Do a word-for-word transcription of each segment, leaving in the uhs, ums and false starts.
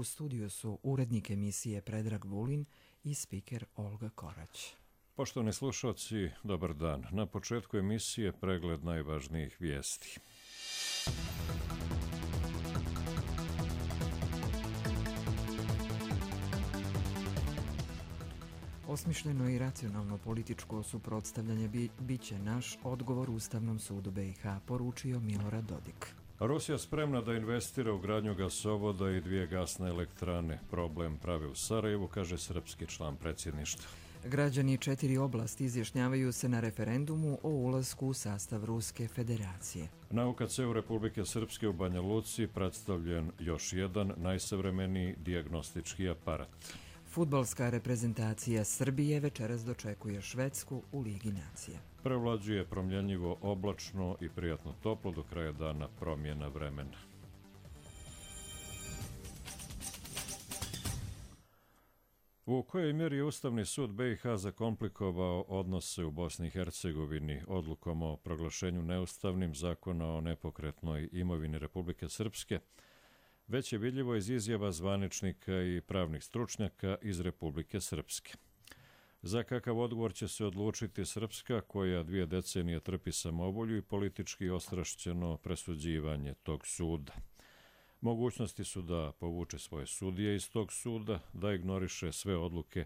U studiju su urednik emisije Predrag Vulin i spiker Olga Korać. Poštovani slušalci, dobar dan. Na početku emisije pregled najvažnijih vijesti. Osmišljeno i racionalno političko suprotstavljanje bi, bit će naš odgovor Ustavnom sudu B i H, poručio Milorad Dodik. Rusija spremna da investira u gradnju gasovoda i dvije gasne elektrane. Problem prave u Sarajevu, kaže srpski član predsjedništva. Građani četiri oblasti izjašnjavaju se na referendumu o ulasku u sastav Ruske federacije. Na U K C-u Republike Srpske u Banja Luci predstavljen još jedan najsavremeniji dijagnostički aparat. Fudbalska reprezentacija Srbije večeras dočekuje Švedsku u Ligi nacija. Prevlađuje promjenjivo oblačno i prijatno toplo, do kraja dana promjena vremena. U kojoj mjeri je Ustavni sud B i H zakomplikovao odnose u Bosni i Hercegovini odlukom o proglašenju neustavnim Zakona o nepokretnoj imovini Republike Srpske, već je vidljivo iz izjava zvaničnika i pravnih stručnjaka iz Republike Srpske. Za kakav odgovor će se odlučiti Srpska, koja dvije decenije trpi samovolju i politički ostrašćeno presuđivanje tog suda. Mogućnosti su da povuče svoje sudije iz tog suda, da ignoriše sve odluke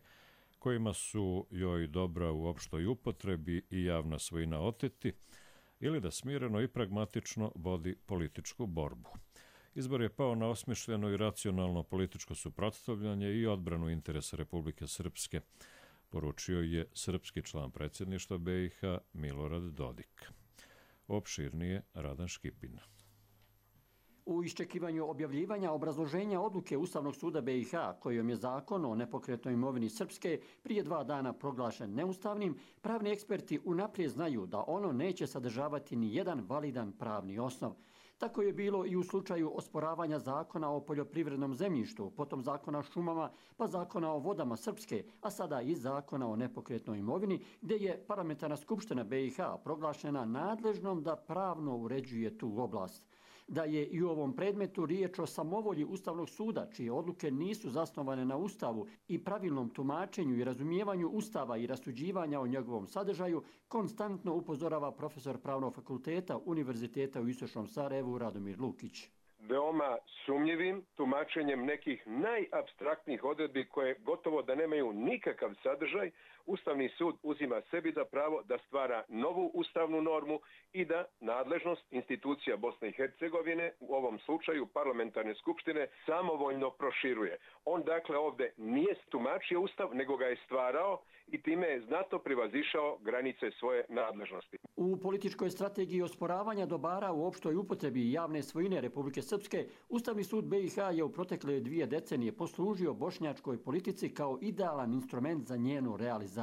kojima su joj dobra u opštoj upotrebi i javna svojina oteti, ili da smireno i pragmatično vodi političku borbu. Izbor je pao na osmišljeno i racionalno političko suprotstavljanje i odbranu interesa Republike Srpske, poručio je srpski član predsjedništva B i H Milorad Dodik. Opširnije Radan Škipina. U iščekivanju objavljivanja obrazloženja odluke Ustavnog suda B i H, kojom je zakon o nepokretnoj imovini Srpske prije dva dana proglašen neustavnim, pravni eksperti unaprijed znaju da ono neće sadržavati ni jedan validan pravni osnov. Tako je bilo i u slučaju osporavanja zakona o poljoprivrednom zemljištu, potom zakona o šumama, pa zakona o vodama Srpske, a sada i zakona o nepokretnoj imovini, gdje je Parlamentarna skupština B i H proglašena nadležnom da pravno uređuje tu oblast. Da je i u ovom predmetu riječ o samovolji Ustavnog suda, čije odluke nisu zasnovane na Ustavu i pravilnom tumačenju i razumijevanju Ustava i rasuđivanja o njegovom sadržaju, konstantno upozorava profesor Pravnog fakulteta Univerziteta u Istočnom Sarajevu Radomir Lukić. Veoma sumnjivim tumačenjem nekih najapstraktnijih odredbi koje gotovo da nemaju nikakav sadržaj, Ustavni sud uzima sebi za pravo da stvara novu ustavnu normu i da nadležnost institucija Bosne i Hercegovine, u ovom slučaju parlamentarne skupštine, samovoljno proširuje. On dakle ovdje nije tumačio Ustav, nego ga je stvarao i time je znatno prevazišao granice svoje nadležnosti. U političkoj strategiji osporavanja dobara u opštoj upotrebi javne svojine Republike Srpske, Ustavni sud B i H je u protekle dvije decenije poslužio bošnjačkoj politici kao idealan instrument za njenu realizaciju,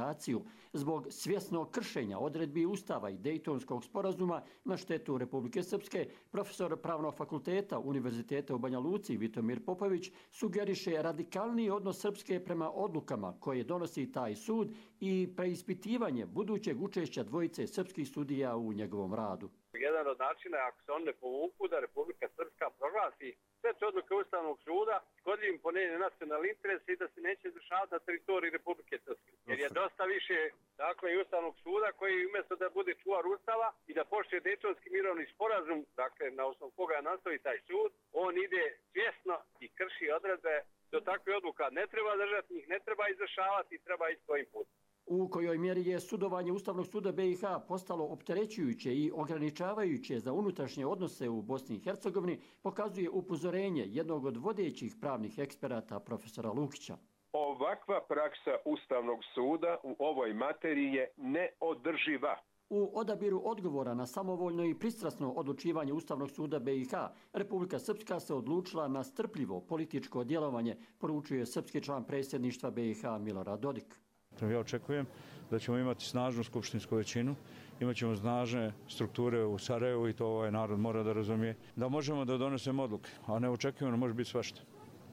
zbog svjesnog kršenja odredbi Ustava i Dejtonskog sporazuma na štetu Republike Srpske. Profesor Pravnog fakulteta Univerziteta u Banja Luci Vitomir Popović sugeriše radikalniji odnos Srpske prema odlukama koje donosi taj sud i preispitivanje budućeg učešća dvojice srpskih sudija u njegovom radu. Jedan od načina, ako se on ne povuku, da Republika Srpska proglasi sve te odluke Ustavnog suda škodljivim po njene nacionalni interes i da se neće izvršavati na teritoriji Republike Srpske. Jer je dosta više dakle, i Ustavnog suda koji umjesto da bude čuvar Ustava i da poštuje Dejtonski mirovni sporazum, dakle na osnovu koga nastoji taj sud, on ide svjesno i krši odredbe. Do takve odluka ne treba držati, njih ne treba izvršavati i treba ići svojim putem. U kojoj mjeri je sudovanje Ustavnog suda B i H postalo opterećujuće i ograničavajuće za unutrašnje odnose u Bosni i Hercegovini, pokazuje upozorenje jednog od vodećih pravnih eksperata profesora Lukića. Ovakva praksa Ustavnog suda u ovoj materiji je neodrživa. U odabiru odgovora na samovoljno i pristrasno odlučivanje Ustavnog suda B i H, Republika Srpska se odlučila na strpljivo političko djelovanje, poručuje srpski član predsjedništva B i H Milorad Dodik. Ja očekujem da ćemo imati snažnu skupštinsku većinu, imat ćemo snažne strukture u Sarajevu i to ovaj narod mora da razumije, da možemo da donesemo odluke, a neočekivano može biti svašta.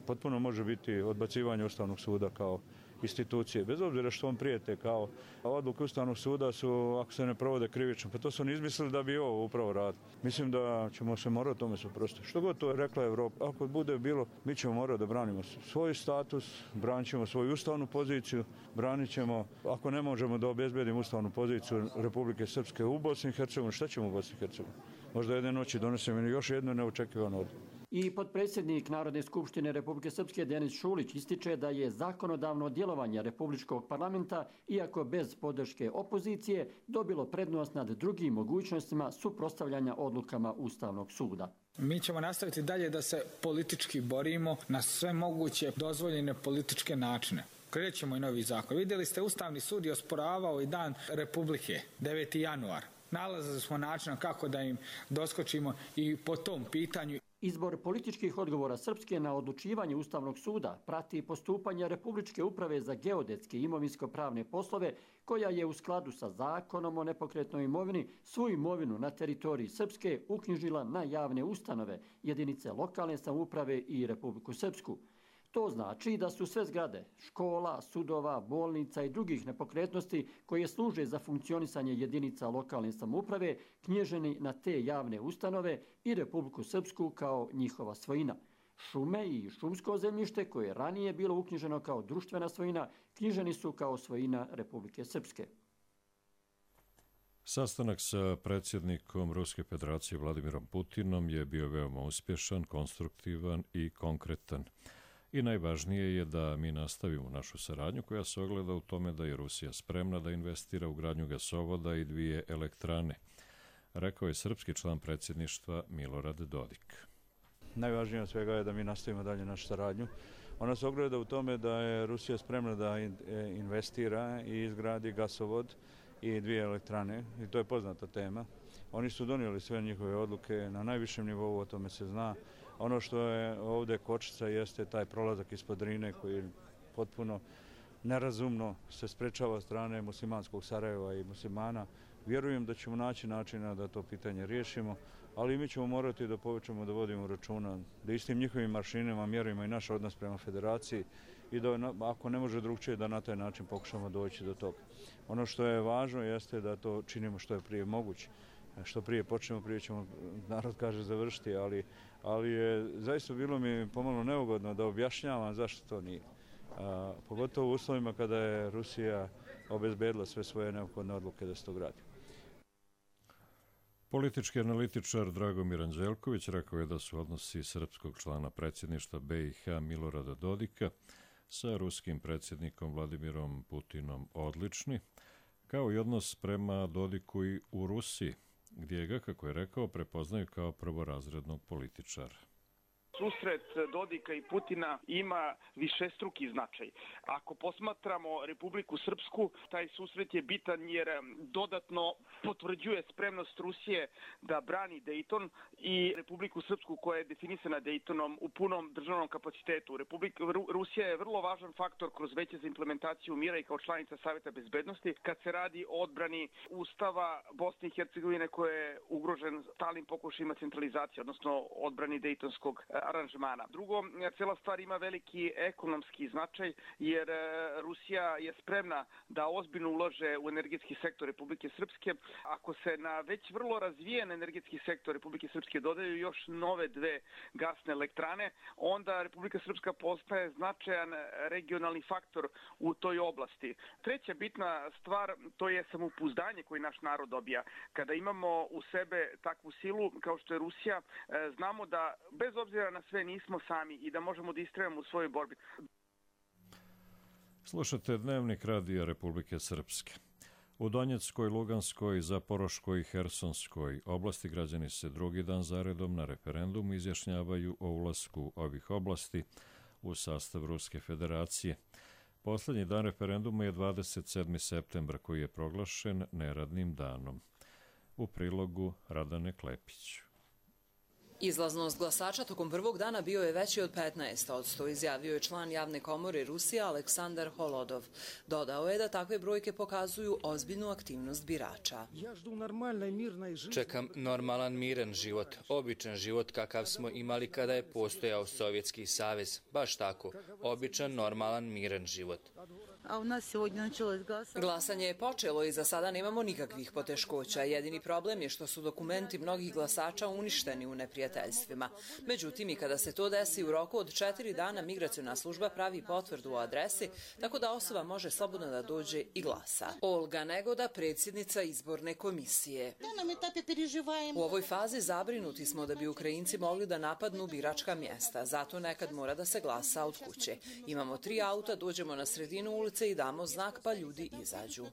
Potpuno može biti odbacivanje Ustavnog suda kao institucije. Bez obzira što on prijete kao odluke Ustavnog suda su, ako se ne provode krivično, pa to su oni izmislili da bi ovo upravo radili. Mislim da ćemo se morati tome suprotstaviti. Što god to je rekla Evropa, ako bude bilo, mi ćemo morati da branimo svoj status, branit ćemo svoju ustavnu poziciju, branit ćemo, ako ne možemo da obezbedimo ustavnu poziciju Republike Srpske u Bosni i Hercegovini, šta ćemo u Bosni i Hercegovini? Možda jedne noći donesemo još jednu neočekivanu odluku. I potpredsjednik Narodne skupštine Republike Srpske Denis Šulić ističe da je zakonodavno djelovanje Republičkog parlamenta, iako bez podrške opozicije, dobilo prednost nad drugim mogućnostima suprotstavljanja odlukama Ustavnog suda. Mi ćemo nastaviti dalje da se politički borimo na sve moguće dozvoljene političke načine. Krećemo i novi zakon. Vidjeli ste, Ustavni sud je osporavao i dan Republike, deveti januar. Nalazili smo način kako da im doskočimo i po tom pitanju. Izbor političkih odgovora Srpske na odlučivanje Ustavnog suda prati postupanje Republičke uprave za geodetske i imovinsko-pravne poslove, koja je u skladu sa zakonom o nepokretnoj imovini svu imovinu na teritoriji Srpske uknjižila na javne ustanove, jedinice lokalne samouprave i Republiku Srpsku. To znači da su sve zgrade, škola, sudova, bolnica i drugih nepokretnosti koje služe za funkcionisanje jedinica lokalne samouprave knjiženi na te javne ustanove i Republiku Srpsku kao njihova svojina. Šume i šumsko zemljište koje je ranije bilo uknjiženo kao društvena svojina knjiženi su kao svojina Republike Srpske. Sastanak sa predsjednikom Ruske federacije Vladimirom Putinom je bio veoma uspješan, konstruktivan i konkretan. I najvažnije je da mi nastavimo našu saradnju koja se ogleda u tome da je Rusija spremna da investira u gradnju gasovoda i dvije elektrane, rekao je srpski član predsjedništva Milorad Dodik. Najvažnije od svega je da mi nastavimo dalje našu saradnju. Ona se ogleda u tome da je Rusija spremna da investira i izgradi gasovod i dvije elektrane, i to je poznata tema. Oni su donijeli sve njihove odluke na najvišem nivou, o tome se zna. Ono što je ovdje kočica jeste taj prolazak ispod Drine koji potpuno nerazumno se sprečava od strane muslimanskog Sarajeva i muslimana. Vjerujem da ćemo naći načina da to pitanje riješimo, ali mi ćemo morati da povećamo da vodimo računa, da istim njihovim maršinama mjerimo i naš odnos prema federaciji i da ako ne može drugčije da na taj način pokušamo doći do toga. Ono što je važno jeste da to činimo što je prije moguće. Što prije počnemo, prije ćemo, narod kaže, završiti, ali, ali je zaista bilo mi pomalo neugodno da objašnjavam zašto to nije. A, pogotovo u uslovima kada je Rusija obezbedila sve svoje neophodne odluke da se to gradi. Politički analitičar Dragomir Anđelković rekao je da su odnosi srpskog člana predsjedništva B i H Milorada Dodika sa ruskim predsjednikom Vladimirom Putinom odlični, kao i odnos prema Dodiku i u Rusiji, gdje ga, kako je rekao, prepoznaju kao prvorazrednog političara. Susret Dodika i Putina ima višestruki značaj. Ako posmatramo Republiku Srpsku, taj susret je bitan jer dodatno potvrđuje spremnost Rusije da brani Dejton i Republiku Srpsku koja je definisana Dejtonom u punom državnom kapacitetu. Republika, Rusija je vrlo važan faktor kroz veće za implementaciju mira i kao članica Saveta bezbednosti kad se radi o odbrani Ustava Bosne i Hercegovine koje je ugrožen stalnim pokušajima centralizacije, odnosno odbrani Dejtonskog aranžmana. Drugo, cijela stvar ima veliki ekonomski značaj jer Rusija je spremna da ozbiljno ulaže u energetski sektor Republike Srpske. Ako se na već vrlo razvijen energetski sektor Republike Srpske dodaju još nove dve gasne elektrane, onda Republika Srpska postaje značajan regionalni faktor u toj oblasti. Treća bitna stvar, to je samopouzdanje koje naš narod dobija. Kada imamo u sebe takvu silu kao što je Rusija, znamo da bez obzira na sve nismo sami i da možemo da istrajemo u svojoj borbi. Slušate Dnevnik radija Republike Srpske. U Donjeckoj, Luganskoj, Zaporoškoj i Hersonskoj oblasti građani se drugi dan zaredom na referendumu izjašnjavaju o ulasku ovih oblasti u sastav Ruske federacije. Poslednji dan referenduma je dvadeset sedmi septembar koji je proglašen neradnim danom. U prilogu Radane Klepić. Izlaznost glasača tokom prvog dana bio je veći od petnaest posto, izjavio je član javne komore Rusije Aleksandar Holodov. Dodao je da takve brojke pokazuju ozbiljnu aktivnost birača. Čekam normalan, miran život, običan život kakav smo imali kada je postojao Sovjetski savez. Baš tako, običan, normalan, miran život. a u nas je ovdje načelo izglasano. Glasanje je počelo i za sada nemamo nikakvih poteškoća. Jedini problem je što su dokumenti mnogih glasača uništeni u neprijateljstvima. Međutim, i kada se to desi u roku od četiri dana, migraciona služba pravi potvrdu o adresi, tako da osoba može slobodno da dođe i glasa. Olga Negoda, predsjednica izborne komisije. U ovoj fazi zabrinuti smo da bi Ukrajinci mogli da napadnu biračka mjesta, zato nekad mora da se glasa od kuće. Imamo tri auta, dođemo na sredinu ulice i damo znak pa ljudi izađu.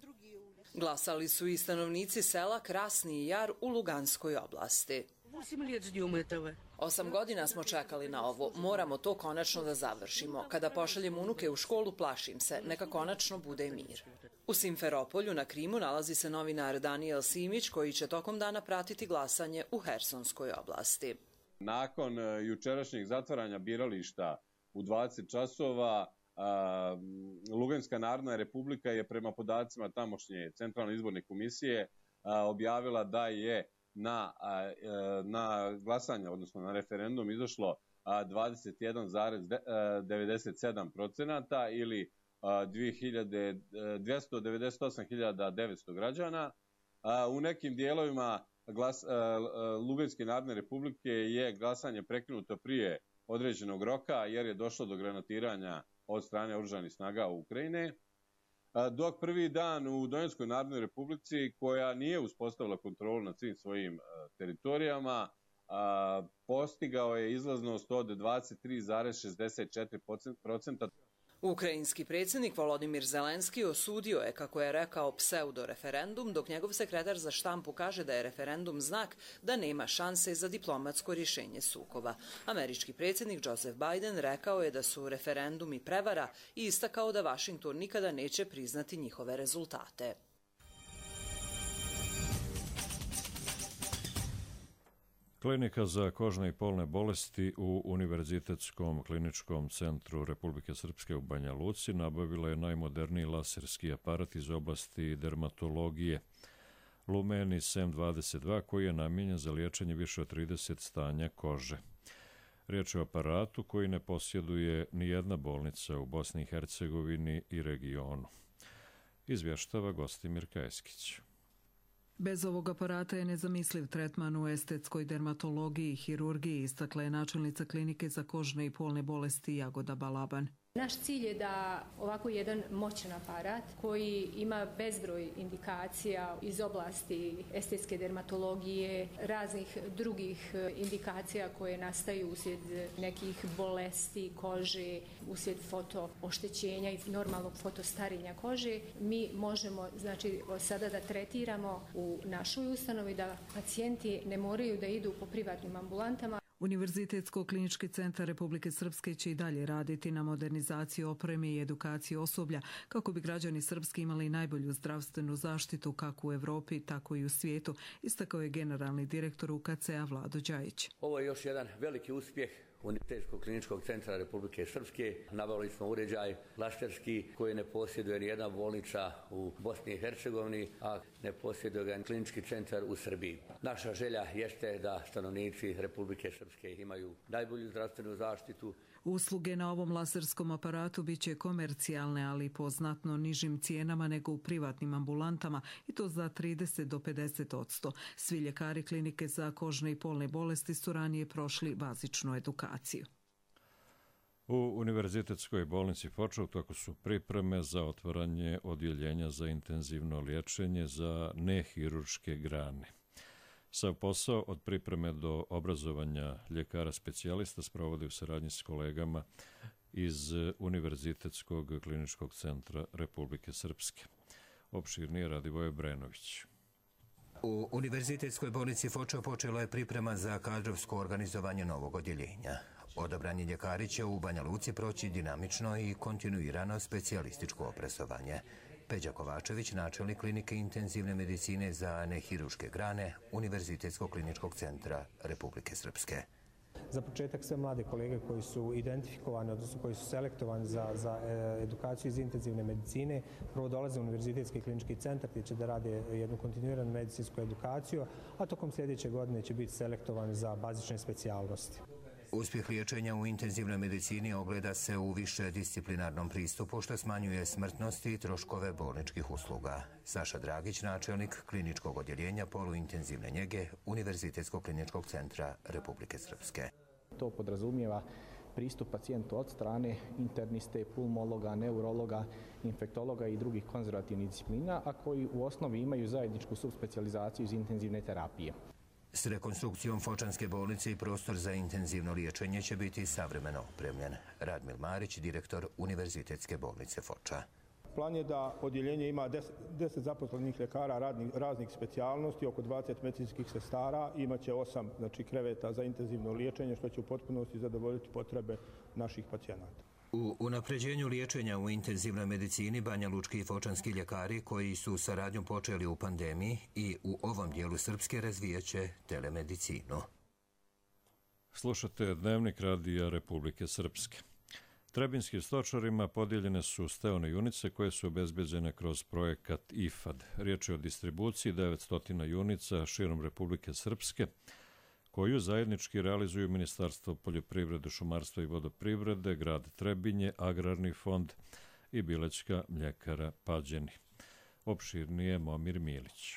Glasali su i stanovnici sela Krasni Jar u Luganskoj oblasti. Osam godina smo čekali na ovo. Moramo to konačno da završimo. Kada pošaljem unuke u školu, plašim se. Neka konačno bude mir. U Simferopolju na Krimu nalazi se novinar Danijel Simić koji će tokom dana pratiti glasanje u Hersonskoj oblasti. Nakon jučerašnjeg zatvaranja birališta u dvadeset časova, Luganska narodna republika je prema podacima tamošnje centralne izborne komisije objavila da je na, na glasanje, odnosno na referendum izašlo dvadeset jedan zarez devedeset sedam procenata ili dvjesto devedeset osam hiljada devetsto građana. U nekim dijelovima glas, Luganske narodne republike je glasanje prekinuto prije određenog roka jer je došlo do granatiranja od strane oružanih snaga Ukrajine. Dok prvi dan u Donjeckoj narodnoj republici, koja nije uspostavila kontrolu nad svim svojim teritorijama, postigao je izlaznost od dvadeset tri zarez šezdeset četiri procenta. Ukrajinski predsjednik Volodimir Zelenski osudio je, kako je rekao, pseudo-referendum, dok njegov sekretar za štampu kaže da je referendum znak da nema šanse za diplomatsko rješenje sukoba. Američki predsjednik Joseph Biden rekao je da su referendumi prevara i istakao da Washington nikada neće priznati njihove rezultate. Klinika za kožne i polne bolesti u Univerzitetskom kliničkom centru Republike Srpske u Banja Luci nabavila je najmoderniji laserski aparat iz oblasti dermatologije Lumenis M dvadeset dva koji je namijenjen za liječenje više od trideset stanja kože. Riječ je o aparatu koji ne posjeduje ni jedna bolnica u Bosni i Hercegovini i regionu. Izvještava Gostimir Kajeskić. Bez ovog aparata je nezamisliv tretman u estetskoj dermatologiji i hirurgiji, istakla je načelnica klinike za kožne i polne bolesti Jagoda Balaban. Naš cilj je da ovako jedan moćan aparat koji ima bezbroj indikacija iz oblasti estetske dermatologije, raznih drugih indikacija koje nastaju uslijed nekih bolesti kože, uslijed fotooštećenja i normalnog fotostarenja kože, mi možemo znači sada da tretiramo u našoj ustanovi da pacijenti ne moraju da idu po privatnim ambulantama. Univerzitetsko-klinički centar Republike Srpske će i dalje raditi na modernizaciji opreme i edukaciji osoblja kako bi građani Srpske imali najbolju zdravstvenu zaštitu kako u Evropi, tako i u svijetu, istakao je generalni direktor U K C-a Vlado Đajić. Ovo je još jedan veliki uspjeh Univerzitetskog kliničkog centra Republike Srpske. Nabavili smo uređaj laserski koji ne posjeduje ni jedna bolnica u Bosni i Hercegovini, a ne posjeduje ga klinički centar u Srbiji. Naša želja jeste da stanovnici Republike Srpske imaju najbolju zdravstvenu zaštitu. Usluge na ovom laserskom aparatu bit će komercijalne, ali po znatno nižim cijenama nego u privatnim ambulantama i to za trideset do pedeset odsto. Svi ljekari klinike za kožne i polne bolesti su ranije prošli bazičnu edukaciju. U Univerzitetskoj bolnici Foča u toku su pripreme za otvaranje odjeljenja za intenzivno liječenje za nehirurške grane. Sav posao od pripreme do obrazovanja ljekara specijalista sprovodi u saradnji s kolegama iz Univerzitetskog kliničkog centra Republike Srpske. Opširnije Radivoje Brenović. U Univerzitetskoj bolnici Foča počela je priprema za kadrovsko organizovanje novog odjeljenja. Odabrani ljekari će u Banja Luci proći dinamično i kontinuirano specijalističko obrazovanje. Peđa Kovačević, načelnik klinike intenzivne medicine za nehirurške grane Univerzitetskog kliničkog centra Republike Srpske. Za početak sve mlade kolege koji su identifikovani, odnosno koji su selektovani za, za edukaciju iz intenzivne medicine, prvo dolaze u Univerzitetski klinički centar gdje će da rade jednu kontinuiranu medicinsku edukaciju, a tokom sljedeće godine će biti selektovani za bazične specijalnosti. Uspjeh liječenja u intenzivnoj medicini ogleda se u višedisciplinarnom pristupu što smanjuje smrtnost i troškove bolničkih usluga. Saša Dragić, načelnik kliničkog odjeljenja poluintenzivne njege Univerzitetskog kliničkog centra Republike Srpske. To podrazumijeva pristup pacijentu od strane interniste, pulmologa, neurologa, infektologa i drugih konzervativnih disciplina, a koji u osnovi imaju zajedničku subspecijalizaciju iz intenzivne terapije. S rekonstrukcijom Fočanske bolnice i prostor za intenzivno liječenje će biti savremeno opremljen. Radmil Marić, direktor Univerzitetske bolnice Foča. Plan je da odjeljenje ima deset zaposlenih ljekara radnih, raznih specijalnosti, oko dvadeset medicinskih sestara, imaće osam znači, kreveta za intenzivno liječenje, što će u potpunosti zadovoljiti potrebe naših pacijenata. U unapređenju liječenja u intenzivnoj medicini Banja Lučki i fočanski ljekari koji su saradnjom počeli u pandemiji i u ovom dijelu Srpske razvijaće telemedicinu. Slušate Dnevnik radija Republike Srpske. Trebinskim stočarima podijeljene su steone junice koje su obezbeđene kroz projekat I F A D. Riječ je o distribuciji devetsto junica širom Republike Srpske, koju zajednički realizuju Ministarstvo poljoprivrede, šumarstva i vodoprivrede, grad Trebinje, Agrarni fond i Bilećka mljekara Pađeni. Opširnije Momir Milić.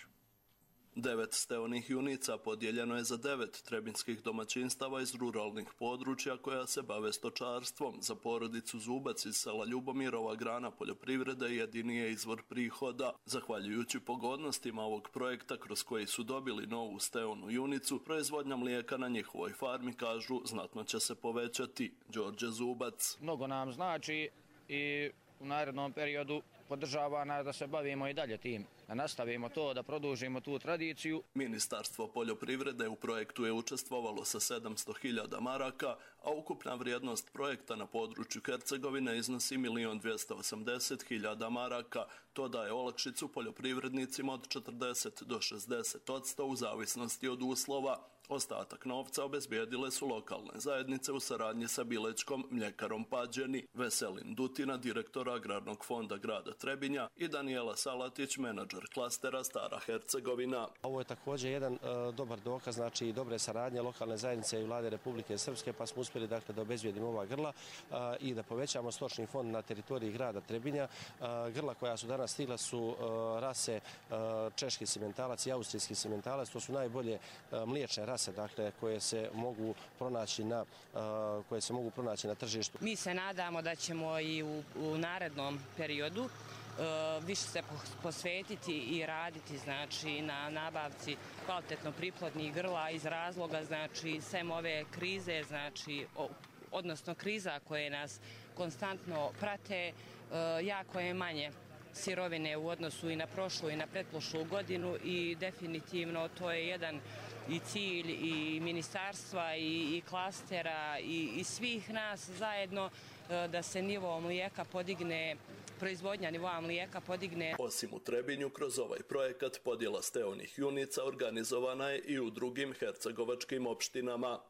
Devet steonih junica podijeljeno je za devet trebinskih domaćinstava iz ruralnih područja koja se bave stočarstvom. Za porodicu Zubac iz sela Ljubomirova grana poljoprivrede jedini je izvor prihoda. Zahvaljujući pogodnostima ovog projekta kroz koji su dobili novu steonu junicu, proizvodnja mlijeka na njihovoj farmi, kažu, znatno će se povećati. Đorđe Zubac. Mnogo nam znači i u narednom periodu podržava nas da se bavimo i dalje tim, da nastavimo to, da produžimo tu tradiciju. Ministarstvo poljoprivrede u projektu je učestvovalo sa sedamsto hiljada maraka, a ukupna vrijednost projekta na području Hercegovine iznosi milion dvjesto osamdeset hiljada maraka. To daje olakšicu poljoprivrednicima od četrdeset do šezdeset odsto u zavisnosti od uslova. Ostatak novca obezbijedile su lokalne zajednice u saradnji sa Bilećkom mljekarom Pađeni. Veselin Dutina, direktor Agrarnog fonda grada Trebinja, i Danijela Salatić, menadžer klastera Stara Hercegovina. Ovo je također jedan uh, dobar dokaz, znači dobre saradnje lokalne zajednice i vlade Republike Srpske, pa smo uspjeli dakle da obezbijedimo ova grla uh, i da povećamo stočni fond na teritoriji grada Trebinja. Uh, grla koja su danas stigla su uh, rase uh, češki simentalac i austrijski simentalac, to su najbolje uh, mliječne rase dakle koje se mogu pronaći na uh, koje se mogu pronaći na tržištu. Mi se nadamo da ćemo i u, u narednom periodu uh, više se posvetiti i raditi znači na nabavci kvalitetno priplodnih grla iz razloga znači sem ove krize znači o, odnosno kriza koje nas konstantno prate uh, jako je manje sirovine u odnosu i na prošlu i na pretprošlu godinu i definitivno to je jedan i cilj i ministarstva i, i klastera i, i svih nas zajedno da se nivo mlijeka podigne, proizvodnja nivoa mlijeka podigne. Osim u Trebinju, kroz ovaj projekat podjela steonih junica organizovana je i u drugim hercegovačkim opštinama.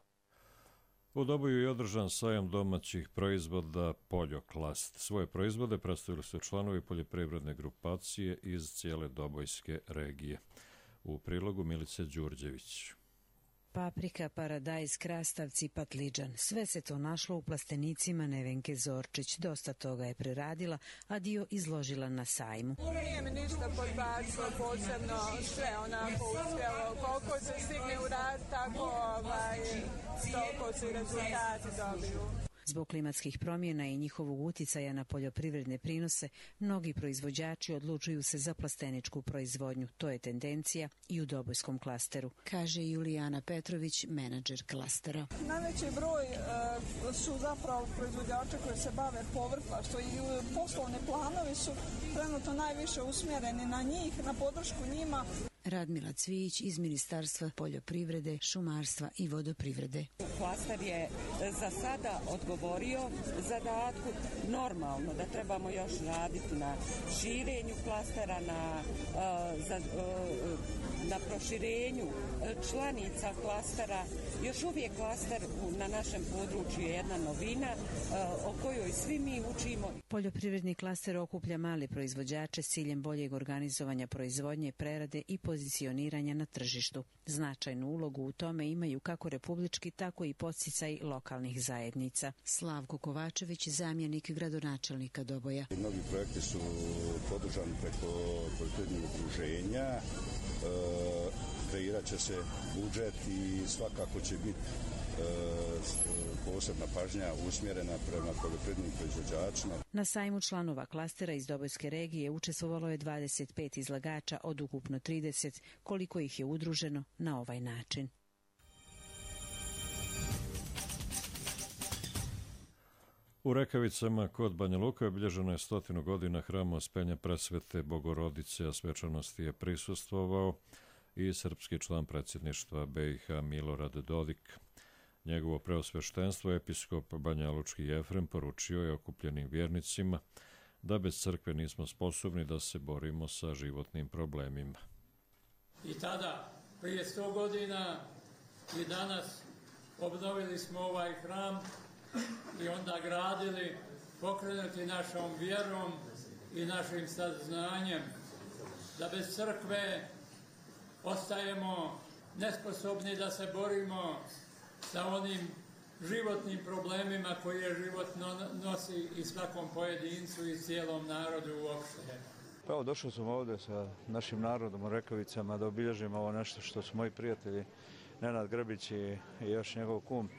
U Doboju je održan sajam domaćih proizvoda Poljoklast. Svoje proizvode predstavili su članovi poljoprivredne grupacije iz cijele Dobojske regije. U prilogu Milice Đurđević. Paprika, paradajz, krastavci, patliđan. Sve se to našlo u plastenicima Nevenke Zorčić. Dosta toga je preradila, a dio izložila na sajmu. Nije mi ništa podbacilo posebno, sve onako uspjelo. Koliko se stigne uraditi, tako ovaj, toliko se i rezultati dobiju. Zbog klimatskih promjena i njihovog uticaja na poljoprivredne prinose, mnogi proizvođači odlučuju se za plasteničku proizvodnju. To je tendencija i u Dobojskom klasteru, kaže Julijana Petrović, menadžer klastera. Najveći broj e, su zapravo proizvođači koji se bave povrtlaštvo i poslovni planovi su trenutno najviše usmjereni na njih, na podršku njima. Radmila Cvijić iz Ministarstva poljoprivrede, šumarstva i vodoprivrede. Klaster je za sada odgovorio zadatku. Normalno da trebamo još raditi na širenju klastera, na, za, na proširenju članica klastera. Još uvijek klaster na našem području je jedna novina o kojoj svi mi učimo. Poljoprivredni klaster okuplja male proizvođače s ciljem boljeg organizovanja proizvodnje, prerade i pozicioniranja na tržištu. Značajnu ulogu u tome imaju kako republički, tako i podsticaj lokalnih zajednica. Slavko Kovačević, zamjenik gradonačelnika Doboja. Mnogi projekti su podržani preko poljoprivrednih udruženja, e, kreirat će se budžet i svakako će biti e, posebna pažnja usmjerena prema poljoprivrednim proizvođačima. Na sajmu članova klastera iz Dobojske regije učestvovalo je dvadeset pet izlagača od ukupno trideset, koliko ih je udruženo na ovaj način. U Rekavicama kod Banja Luka obilježeno je stotinu godina hrama Ospenja Presvete Bogorodice, a svečanosti je prisustvovao i srpski član predsjedništva be i ha Milorad Dodik. Njegovo preosveštenstvo, episkop banjalučki Jefrem, poručio je okupljenim vjernicima da bez crkve nismo sposobni da se borimo sa životnim problemima. I tada, prije sto godina i danas, obnovili smo ovaj hram i onda gradili, pokrenuti našom vjerom i našim saznanjem, da bez crkve ostajemo nesposobni da se borimo sa onim životnim problemima koje život nosi i svakom pojedincu i cijelom narodu uopšte. Pa evo, došao sam ovdje sa našim narodom u Rekavicama da obilježimo ovo nešto što su moji prijatelji Nenad Grbić i još njegov kum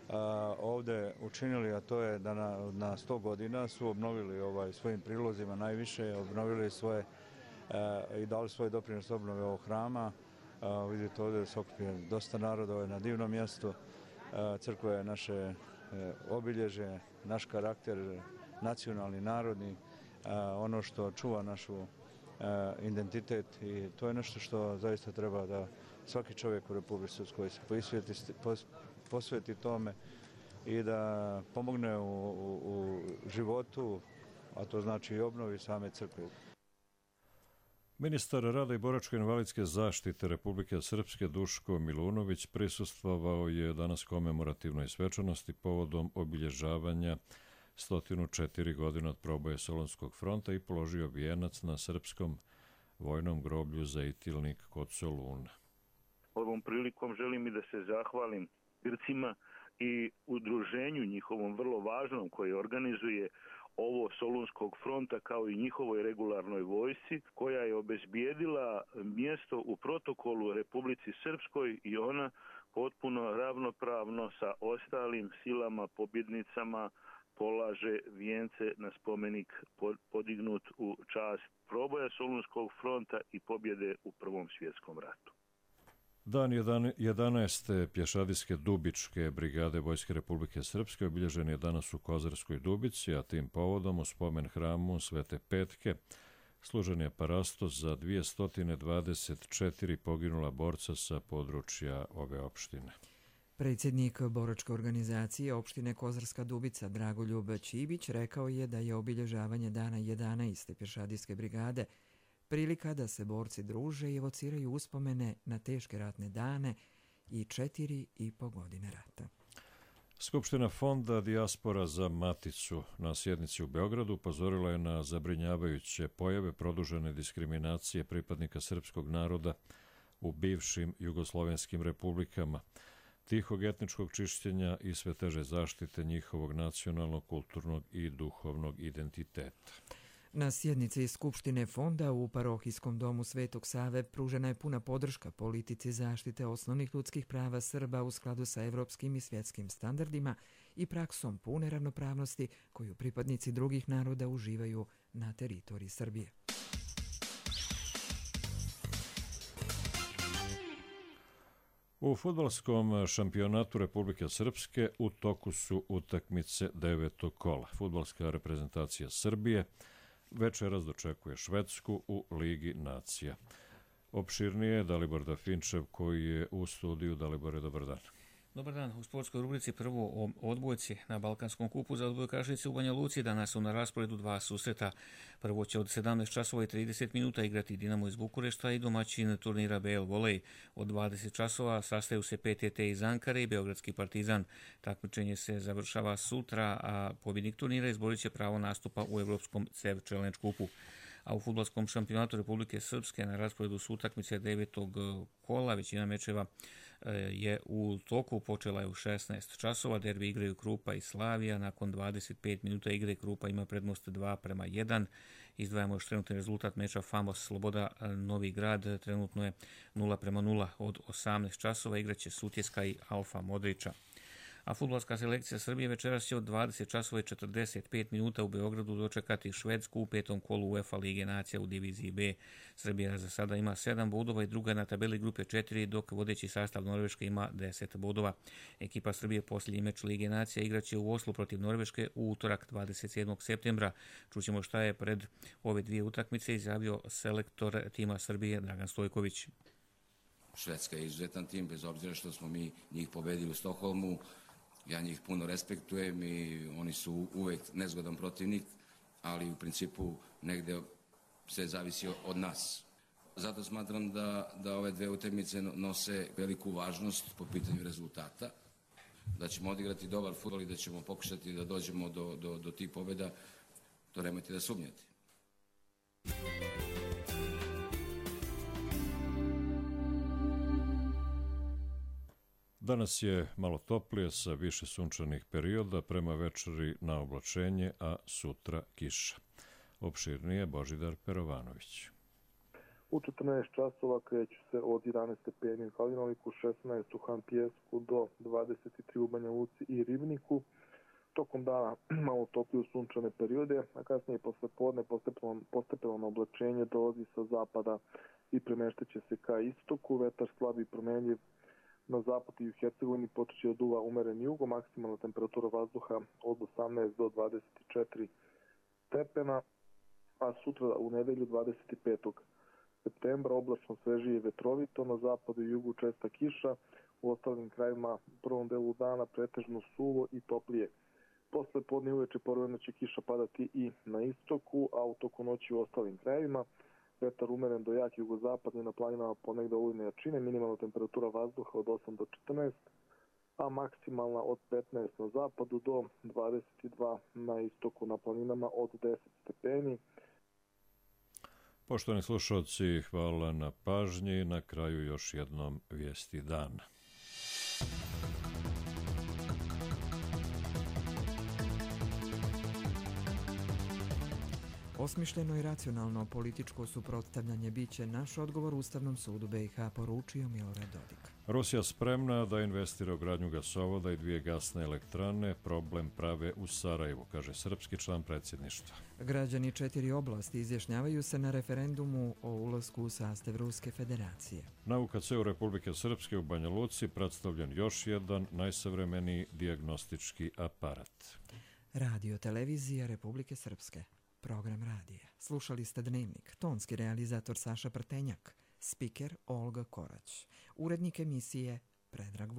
a, ovdje učinili, a to je da na, na sto godina su obnovili ovaj, svojim prilozima najviše, obnovili svoje a, i dali svoj doprinos obnove ovog hrama. A, vidite ovdje da se okupio dosta naroda, ovo je na divnom mjestu. A, crkva je naše e, obilježe, naš karakter, nacionalni, narodni, a, ono što čuva našu a, identitet i to je nešto što zaista treba da svaki čovjek u Republici Srpskoj se posveti, posveti tome i da pomogne u, u, u životu, a to znači i obnovi same crkve. Ministar rada i boračko-invalidske zaštite Republike Srpske Duško Milunović prisustvovao je danas komemorativnoj svečanosti povodom obilježavanja sto četiri godina od proboja Solunskog fronta i položio vijenac na srpskom vojnom groblju Zejtilnik kod Soluna. Ovom prilikom želim i da se zahvalim Grcima i udruženju njihovom vrlo važnom koje organizuje ovo Solunskog fronta kao i njihovoj regularnoj vojsci koja je obezbijedila mjesto u protokolu Republici Srpskoj i ona potpuno ravnopravno sa ostalim silama pobjednicama polaže vijence na spomenik podignut u čast proboja Solunskog fronta i pobjede u Prvom svjetskom ratu. Dan jedanaeste pješadijske Dubičke brigade Vojske Republike Srpske obilježen je danas u Kozarskoj Dubici, a tim povodom u spomen hramu Svete Petke služen je parastos za dvjesto dvadeset četiri poginula borca sa područja ove opštine. Predsjednik boračke organizacije opštine Kozarska Dubica Dragoljub Ćibić rekao je da je obilježavanje dana jedanaeste pješadijske brigade prilika da se borci druže i evociraju uspomene na teške ratne dane i četiri i po godine rata. Skupština Fonda Dijaspora za Maticu na sjednici u Beogradu upozorila je na zabrinjavajuće pojave produžene diskriminacije pripadnika srpskog naroda u bivšim jugoslovenskim republikama, tihog etničkog čišćenja i sve teže zaštite njihovog nacionalnog, kulturnog i duhovnog identiteta. Na sjednici Skupštine Fonda u parohijskom domu Svetog Save pružena je puna podrška politici zaštite osnovnih ljudskih prava Srba u skladu sa evropskim i svjetskim standardima i praksom pune ravnopravnosti koju pripadnici drugih naroda uživaju na teritoriji Srbije. U fudbalskom šampionatu Republike Srpske u toku su utakmice devetog kola. Fudbalska reprezentacija Srbije večeras dočekuje Švedsku u Ligi nacija. Opširnije je Dalibor Dafinčev koji je u studiju. Dalibore, dobar dan. Dobar dan. U sportskoj rubrici prvo o odbojci na Balkanskom kupu za odbojkašice u Banja Luci. Danas su na rasporedu dva susreta. Prvo će od sedamnaest časova i trideset minuta igrati Dinamo iz Bukurešta i domaćin turnira B L Volej. Od dvadeset časova sastaju se P T T iz Ankare i Beogradski Partizan. Takmičenje se završava sutra, a pobjednik turnira izborit će pravo nastupa u Evropskom C E V Challenge kupu. A u fudbalskom šampionatu Republike Srpske na rasporedu su utakmice devetog kola. Većina mečeva je u toku, počela je u šesnaest časova. Derbi igraju Krupa i Slavija. Nakon dvadeset pet minuta igre Krupa ima prednost dva prema jedan. Izdvajamo još trenutni rezultat meča Famos Sloboda Novi Grad. Trenutno je nula prema nula. Od osamnaest časova igraće Sutjeska i Alfa Modrića. A fudbalska selekcija Srbije večeras će od dvadeset časova i četrdeset pet minuta u Beogradu dočekati Švedsku u petom kolu UEFA Lige nacija u diviziji B. Srbija za sada ima sedam bodova i druga na tabeli grupe četiri, dok vodeći sastav Norveške ima deset bodova. Ekipa Srbije posljednji meč Lige nacija igraće u Oslu protiv Norveške u utorak dvadeset sedmog septembra. Čućemo šta je pred ove dvije utakmice izjavio selektor tima Srbije Dragan Stojković. Švedska je izuzetan tim, bez obzira što smo mi njih pobedili u Stokholmu. Ja njih puno respektujem i oni su uvek nezgodan protivnik, ali u principu negde sve zavisi od nas. Zato smatram da, da ove dve utakmice nose veliku važnost po pitanju rezultata, da ćemo odigrati dobar fudbal i da ćemo pokušati da dođemo do, do, do tih pobjeda, to nemojte da sumnjate. Danas je malo toplije sa više sunčanih perioda, prema večeri na oblačenje, a sutra kiša. Opširnije Božidar Perovanović. U četrnaest časova kreću se od jedanaest stepeni u Kalinoliku, šesnaest u Hampijesku do dvadeset tri u Banja Luci i Ribniku. Tokom dana malo toplije sunčane periode, a kasnije posle podne postepeno, postepeno oblačenje dolazi sa zapada i premeštaće se ka istoku. Vetar slabi promenljiv. Na zapad i u Hercegovini počeće od duva umeren jugo, maksimalna temperatura vazduha od osamnaest do dvadeset četiri stepena, a sutra u nedelju dvadeset petog septembra oblačno svežije i vetrovito, na zapadu i jugu česta kiša, u ostalim krajima u prvom delu dana pretežno suvo i toplije. Posle podne uveče povremeno će kiša padati i na istoku, a u toku noći u ostalim krajevima. Vetar umeren do jak jugozapadni, na planinama ponegde olujne jačine, minimalna temperatura vazduha od osam do četrnaest, a maksimalna od petnaest na zapadu do dvadeset dva na istoku, na planinama od deset stepeni. Poštovani slušalci, hvala na pažnji. Na kraju još jednom vijesti dana. Osmišljeno i racionalno političko suprotstavljanje biće naš odgovor Ustavnom sudu B i H, poručio Milorad Dodik. Rusija spremna da investira u gradnju gasovoda i dvije gasne elektrane, problem prave u Sarajevu, kaže srpski član predsjedništva. Građani četiri oblasti izjašnjavaju se na referendumu o ulasku u sastav Ruske federacije. Na U K C-u Republike Srpske u Banja Luci predstavljen još jedan najsavremeniji dijagnostički aparat. Radio televizija Republike Srpske. Program radija. Slušali ste Dnevnik. Tonski realizator Saša Prtenjak. Spiker Olga Korać. Urednik emisije Predrag